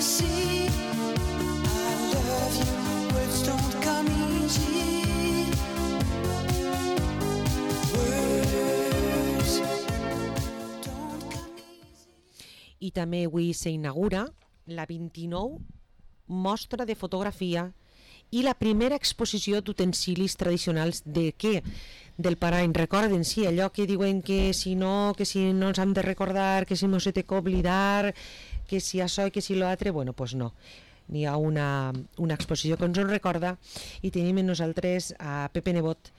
see. I love you, words don't come easy. Words don't come easy. I també avui s'inaugura la 29 mostra de fotografia i la primera exposició d'utensilis tradicionals de què? Del Parany. Recorden, sí, allò que diuen que si no ens hem de recordar, que si no se té que oblidar, que si això i que si l'altre, bueno, doncs no. N'hi ha una exposició que ens en recorda i tenim amb nosaltres a Pepe Nebot,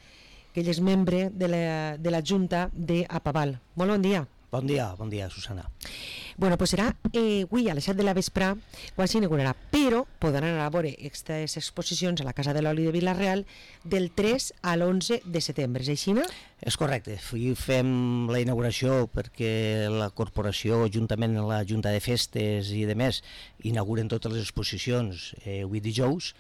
que ell és membre de la Junta d'Apaval. Molt bon dia. Bon dia, Susana. Bueno, pues serà avui a les 7 de la vespre quan s'inaugurarà, però podran anar a veure aquestes exposicions a la Casa de l'Oli de Vila-real del 3 a l'11 de setembre, és així, no? És correcte, avui fem la inauguració perquè la corporació, juntament amb la Junta de Festes i demés, inauguren totes les exposicions avui dijous,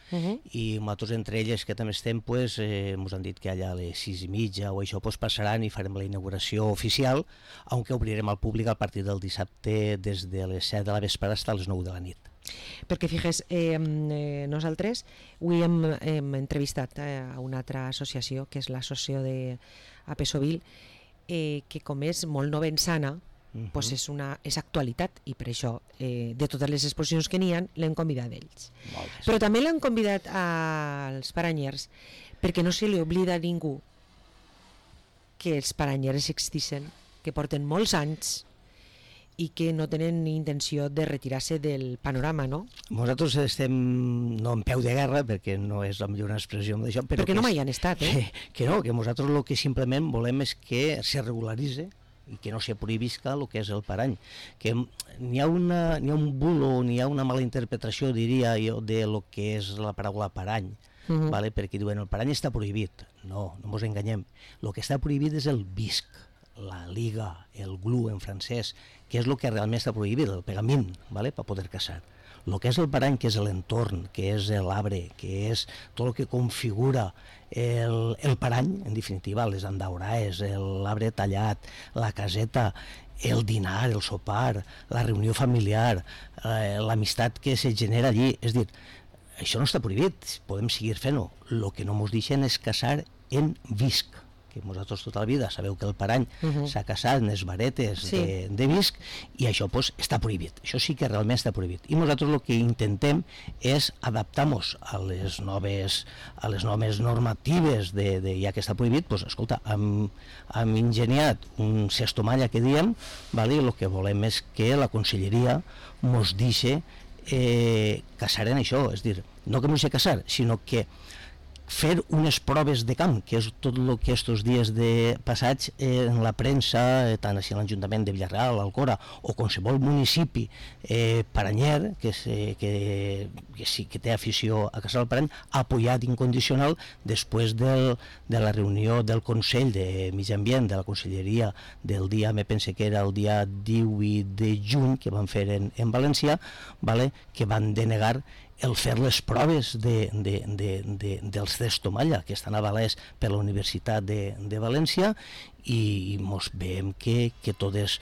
i nosaltres entre elles que també estem, pues, ens han dit que allà a les 6:30 o això pues, passaran i farem la inauguració oficial, aunque obrirem al públic a partir del dissabte des de les 7 de la vespre fins a les 9 de la nit. Perquè fixes, nosaltres avui hem entrevistat a una altra associació, que és l'associació d'Apesovil, que com és molt novensana, doncs és actualitat, i per això de totes les exposicions que n'hi ha l'hem convidat ells. Però també l'han convidat als paranyers perquè no se li oblida a ningú que els paranyers existeixen, que porten molts anys i que no tenen ni intenció de retirar-se del panorama, no? Nosaltres estem no en peu de guerra, perquè no és la millor expressió d'això, però perquè no mai han estat, que no, que nosaltres el que simplement volem és que se regularitzi i que no se prohibisca el que és el parany, que n'hi ha un bulo, n'hi ha una mala interpretació, diria jo, de lo que és la paraula parany, vale? Perquè diuen el parany està prohibit. No ens enganyem, el que està prohibit és el visc, la liga, el glue en francès, que és el que realment està prohibit, el pegament, vale? Per poder caçar. El que és el parany, que és l'entorn, que és l'arbre, que és tot el que configura el parany, en definitiva, les andauraes, l'arbre tallat, la caseta, el dinar, el sopar, la reunió familiar, l'amistat que se genera allí. És a dir, això no està prohibit, podem seguir fent-ho. El que no ens deixen és caçar en visc, que vosaltres tota la vida sabeu que el parany s'ha casat en les varetes de visc, i això pues, està prohibit, això sí que realment està prohibit, i nosaltres el que intentem és adaptar-nos a les noves normatives ja que està prohibit. Pues, escolta, hem ingeniat un cestomalla que diem, vale? El que volem és que la conselleria ens deixi caçar en això, és dir, no que no sé caçar, sinó que fer unes proves de camp, que és tot el que estos dies passats en la premsa, tant així a l'Ajuntament de Vila-real, l'Alcora, o qualsevol municipi paranyer que sí que té afició a caçar el parany, ha apoyat incondicional després de la reunió del Consell de Medi Ambient de la Conselleria del dia, me pense que era el dia 18 de juny, que van fer en València, vale? Que van denegar el fer les proves dels cestomalla que estan avalats per la Universitat de València, i mos veiem que tot és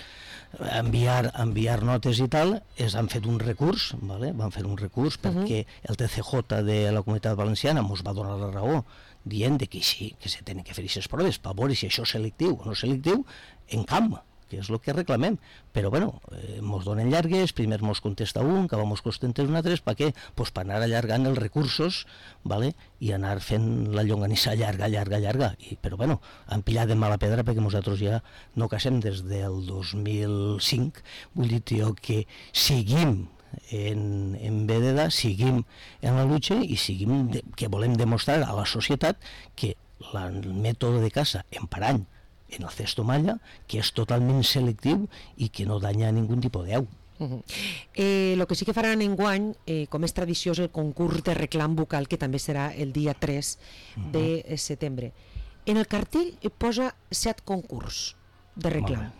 enviar notes i tal. Han fet un recurs, vale? Van fer un recurs perquè el TCJ de la Comunitat Valenciana mos va donar la raó, dient que sí, que se tenen que fer aquestes proves per veure si això és selectiu o no selectiu en camp, que és el que reclamem. Però bueno, mos donen llargues, primer mos contesta un, que mos contesta un altre, per què? Pues per anar allargant els recursos, vale? I anar fent la llonganissa llarga. Però bueno, han pillat de mala pedra perquè nosaltres ja no casem des del 2005, vull dir, tio, que seguim en vededa, seguim en la lucha i seguim que volem demostrar a la societat que el mètode de caça en parany, en el cestomalla, que és totalment selectiu i que no danya ningú tipus d'au. El que sí que faran enguany, com és tradició, és el concurs de reclam vocal, que també serà el dia 3 de setembre. En el cartell posa 7 concurs de reclam.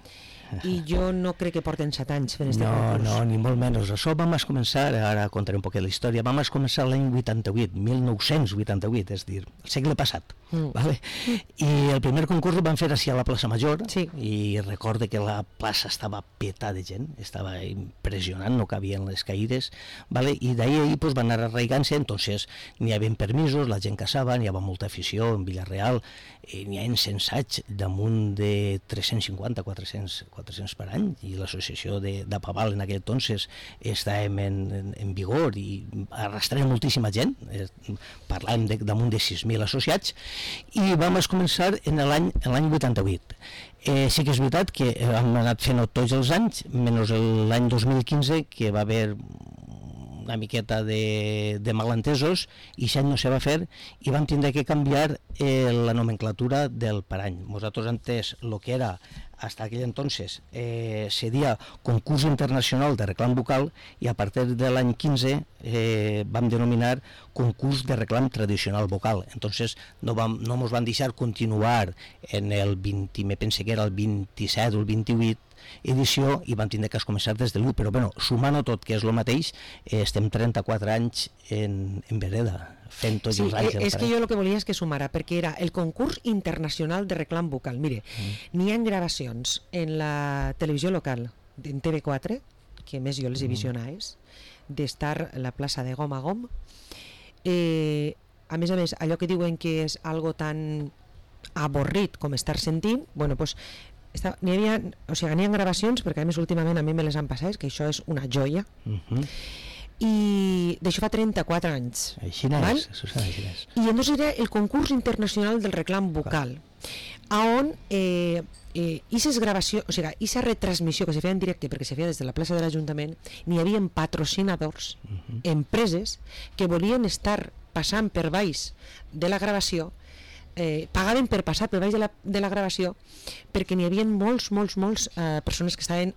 i jo no crec que porten 7 anys fent este No, concurs. no, ni molt menys. Això vam començar, ara contaré un poc de la història, vam començar l'any 88, 1988, és a dir, el segle passat. Vale? I el primer concurs el van fer així a la plaça Major, Sí. i recorde que la plaça estava peta de gent, estava impressionant, no cabien les caïdes, vale? I d'ahir pues, van anar arraigant-se, entonces n'hi havia permisos, la gent caçava, n'hi havia molta afició en Villarreal, n'hi ha encensats damunt de 350, 400 per any, i l'associació d'Apaval en aquell entonces estàvem en vigor i arrastràvem moltíssima gent, parlàvem damunt de 6.000 associats, i vam començar en l'any 88. Sí que és veritat que hem anat fent-ho tots els anys, menys l'any 2015, que va haver una miqueta de malentesos, i això no se va fer, i vam tindre que canviar la nomenclatura del parany. Nosaltres antes, el que era hasta aquell entonces seria concurs internacional de reclam vocal, i a partir de l'any 15 vam denominar concurs de reclam tradicional vocal. Entonces no ens van deixar continuar en el 20, me pense que era el 27 o el 28 edició, i vam tindre que començar des de l'1, però bueno, sumant-ho tot, que és el mateix, estem 34 anys en vereda, fent tots els anys. És que jo el que volia és que sumara, perquè era el concurs internacional de reclam vocal. Mire, n'hi ha gravacions en la televisió local, en TV4, que més jo les he visionades, d'estar a la plaça de Gom a Gom. A més, allò que diuen que és algo tan avorrit com estar sentint, bueno, doncs n'hi havia, o sigui, n'hi ha gravacions, perquè a més últimament a mi me les han passat, que això és una joia, i d'això fa 34 anys. Així n'és, això és. I llavors era el concurs internacional del reclam vocal, on aquestes gravacions, o sigui, aquesta retransmissió que se feia en directe, perquè se feia des de la plaça de l'Ajuntament, n'hi havia patrocinadors, empreses que volien estar passant per baix de la gravació, pagaven per passar per baix de la gravació, perquè n'hi havia molts persones que estaven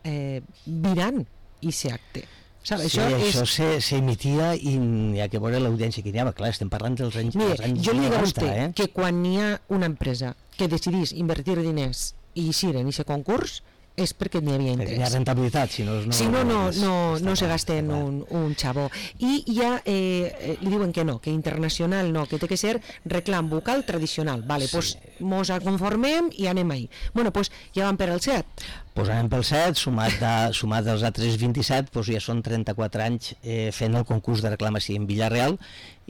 virant aquest acte. Això s'emitia i hi ha que veure l'audiència que n'hi havia. Clar, estem parlant dels anys 90. Mire, jo li dic a vostè que quan hi ha una empresa que decidís invertir diners i eixir en aquest concurs, és perquè n'hi havia interès. Hi ha rentabilitat, si no no se gasten un xavó. I ja li diuen que no, que internacional no, que té que ser reclam vocal tradicional. Vale, doncs mos conformem i anem ahí. Bueno, doncs ja van per al 7. Doncs anem pel 7, sumat als altres 27, doncs ja són 34 anys fent el concurs de reclamació en Villarreal,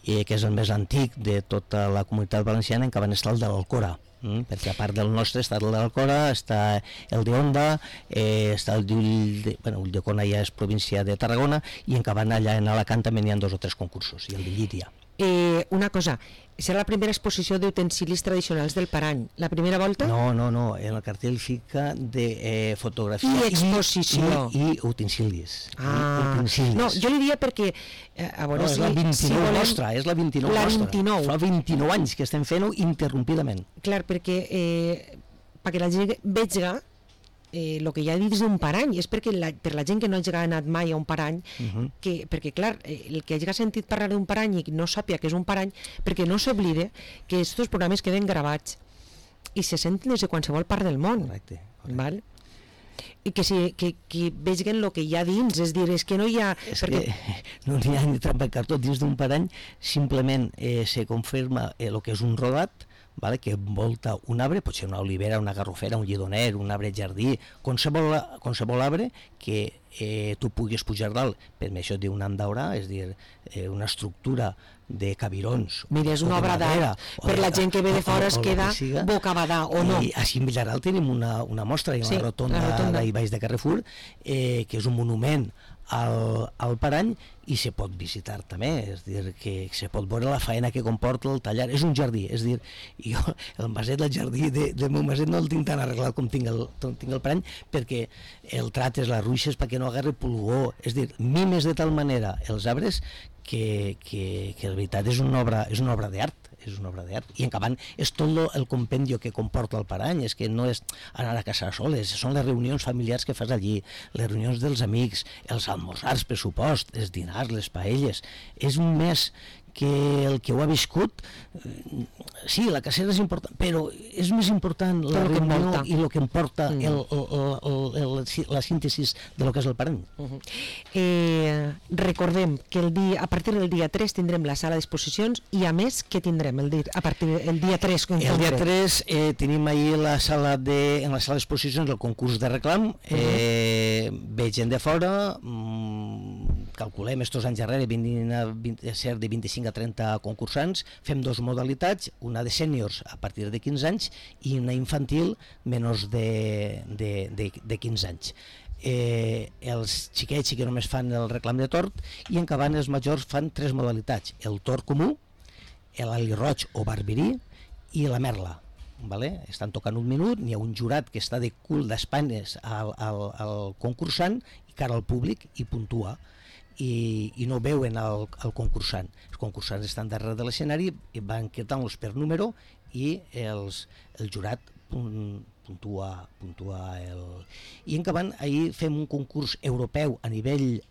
que és el més antic de tota la comunitat valenciana, en què van estar el de l'Alcora. Perquè a part del nostre està el de l'Alcora, està el de Onda, està el d'Ulldecona, ja és província de Tarragona, i en Cabana, allà en Alacant, també n'hi ha 2 o 3 concursos, i el de Llíria. Una cosa, serà la primera exposició d'utensilis tradicionals del Parany. La primera volta? No, en el cartell fica de fotografia i exposició i utensilis. No, jo li dia perquè a veure, és la 29 nostra, és la 29 nostra. 29. Fa 29 anys que estem fent-ho interrompidament. Clar, perquè perquè la gent vegi el que ja he dit és un parany, és perquè per la gent que no hagi anat mai a un parany, perquè clar, el que hagi sentit parlar d'un parany i no sàpia que és un parany, perquè no s'oblide que aquests programes queden gravats i se senten des de qualsevol part del món. Correcte. Val? I que vegin el que hi ha dins, és dir, és que no hi ha... Que no n'hi ha ni trampa en cartó. Dins d'un parany simplement se confirma el que és un rodat, vale, que envolta un arbre, pot ser una olivera, una garrofera, un llidoner, un arbre jardí, qualsevol arbre que tu puguis pujar dalt, per això diu un andaurà, és dir, una estructura de cabirons. Mira, és una obra d'art, per la gent que ve de fora es queda bocabadà, o no? I així en Villarreal tenim una mostra, una rotonda d'ahí baix de Carrefour, que és un monument al parany, i se pot visitar també, és dir, que se pot veure la faena que comporta el tallar. És un jardí, és dir, jo el maset, el jardí del meu maset no el tinc tan arreglat com tinc el parany, perquè el trates, les ruixes, perquè no agarri pulgó, és dir, mimes de tal manera els arbres que la veritat és una obra d'art. És una obra d'art, i en acabant és tot el compendio que comporta el parany, és que no és anar a casa soles, són les reunions familiars que fas allí, les reunions dels amics, els almorzars, per supost, els dinars, les paelles. És un mes que el que ho ha viscut, sí, la cacera és important, però és més important la Tot lo que reunió envolta. i el que importa la síntesi de lo que és el parany. Recordem que a partir del dia 3 tindrem la sala d'exposicions i a més, què tindrem a partir del dia 3? El dia 3 tenim ahir en la sala d'exposicions el concurs de reclam, ve gent de fora, calculem estos anys darrere vindrien a ser de 25 a 30 concursants, fem dos modalitats, una de sèniors a partir de 15 anys i una infantil menys de 15 anys. Els xiquets sí que només fan el reclam de tort i en acabant els majors fan tres modalitats: el tort comú, l'ali roig o barberí i la merla. Vale? Estan tocant un minut, n'hi ha un jurat que està de cul d'espanes al concursant i cara al públic i puntua i no veuen el concursant. Els concursants estan darrere de l'escenari i van quedant-los per número i el jurat puntua i en acabant ahir fem un concurs europeu a nivell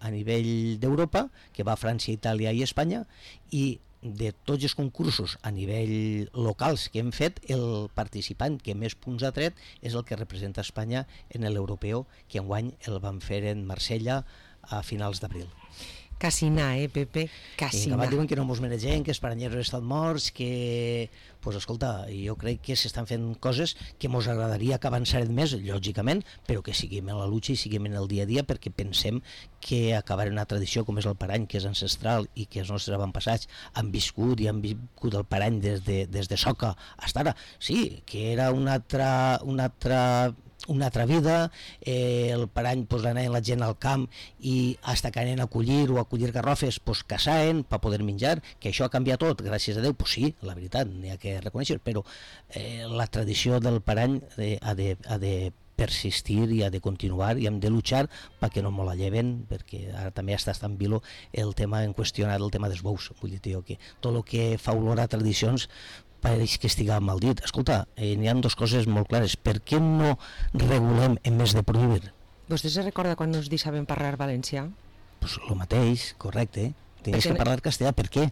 d'Europa que va a França, Itàlia i Espanya, i de tots els concursos a nivell locals que hem fet, el participant que més punts ha tret és el que representa Espanya en l'europeu, que enguany el van fer en Marsella a finals d'abril. Quasi anar, Pepe? Quasi anar. I diuen que no mos mereixem, que els paranyeros estan morts, que... Pues escolta, jo crec que s'estan fent coses que mos agradaria que avançaren més, lògicament, però que siguem en la lucha i siguem en el dia a dia, perquè pensem que acabar una tradició com és el parany, que és ancestral i que els nostres avantpassats han viscut i han viscut el parany des de Soca fins ara. Sí, que era una altra vida, el parany pues, anaven la gent al camp i hasta que anaven a collir garrofes pues, caçaven per poder menjar, que això ha canviat tot, gràcies a Déu, pues sí, la veritat, n'hi ha que reconèixer, però la tradició del parany ha de persistir i ha de continuar i hem de luchar perquè no me la lleven, perquè ara també està tan vilo el tema en qüestionat, el tema dels bous. Vull dir, que tot el que fa olor a tradicions pareix que estiga mal dit. Escolta, n'hi ha dues coses molt clares. Per què no regulem en més de prohibir? Vostè se recorda quan nos deixaven parlar valencià? Pues lo mateix, correcte. Tenies que parlar castellà. Per què?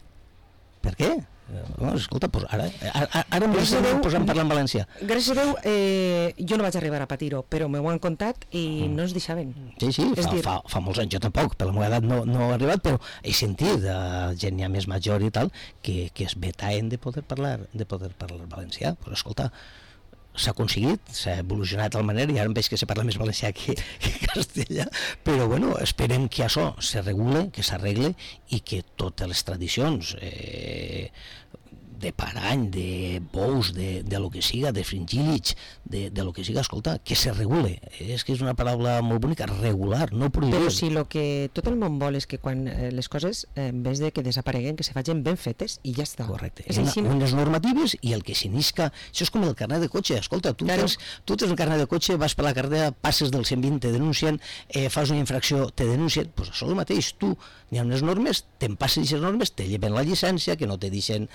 Per què? No, escolta, pues ara ens estem posant a parlar en valencià. Gràcies a Déu, jo no vaig arribar a patir-ho, però m'ho han contat i no ens deixaven. Sí, fa molts anys, jo tampoc, per la meva edat no he arribat, però he sentit gent ja més major i tal, que es vetaven de poder parlar valencià. Pues escolta, s'ha aconseguit, s'ha evolucionat de tal manera i ara em veig que se parla més valencià que castellà, però bueno, esperem que això se regule, que s'arregle i que totes les tradicions de parany, de bous, de lo que siga, de fringíl·lids, de lo que siga, escolta, que se regule. És que és una paraula molt bonica, regular, no prohibir. Però si lo que tot el món vol és que quan les coses, en vez de que desapareguen, que se facin ben fetes i ja està. Correcte. Unes normatives i el que s'inisca, això és com el carnet de cotxe. Escolta, tu tens el carnet de cotxe, vas per la carretera, passes del 120, te denuncien, fas una infracció, te denuncien, doncs això és el mateix. Tu, n'hi ha unes normes, te'n passes aquestes normes, te lleven la llicència, que no te deixen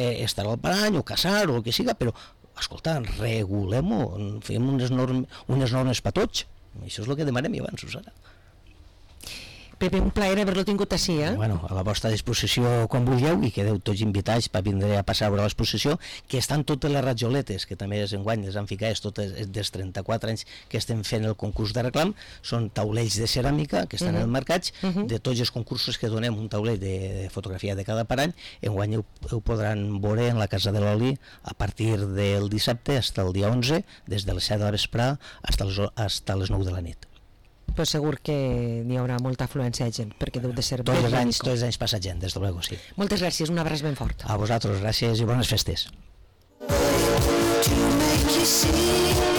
estar al parany o caçar o el que siga, però escolta, regulem-ho, fem unes normes per tots. Això és el que demanem abans, Susana. Pepe, un plaer haver-lo tingut així, Bueno, a la vostra disposició quan vulgueu i quedeu tots invitats per vindre a passar a veure l'exposició, que estan totes les ratjoletes, que també enguany les han ficat, totes dels 34 anys que estem fent el concurs de reclam, són taulells de ceràmica que estan enmarcats, de tots els concursos que donem un taulell de fotografia de cada parany, enguany ho podran veure en la Casa de l'Oli a partir del dissabte fins al dia 11, des de les 7 de la vesprà fins a les 9 de la nit. Pues segur que n'hi haurà molta afluència de gent, perquè deu de ser tots els anys passa gent, des de luego, sí. Moltes gràcies, un abraç ben fort. A vosaltres, gràcies i bones festes. To make you see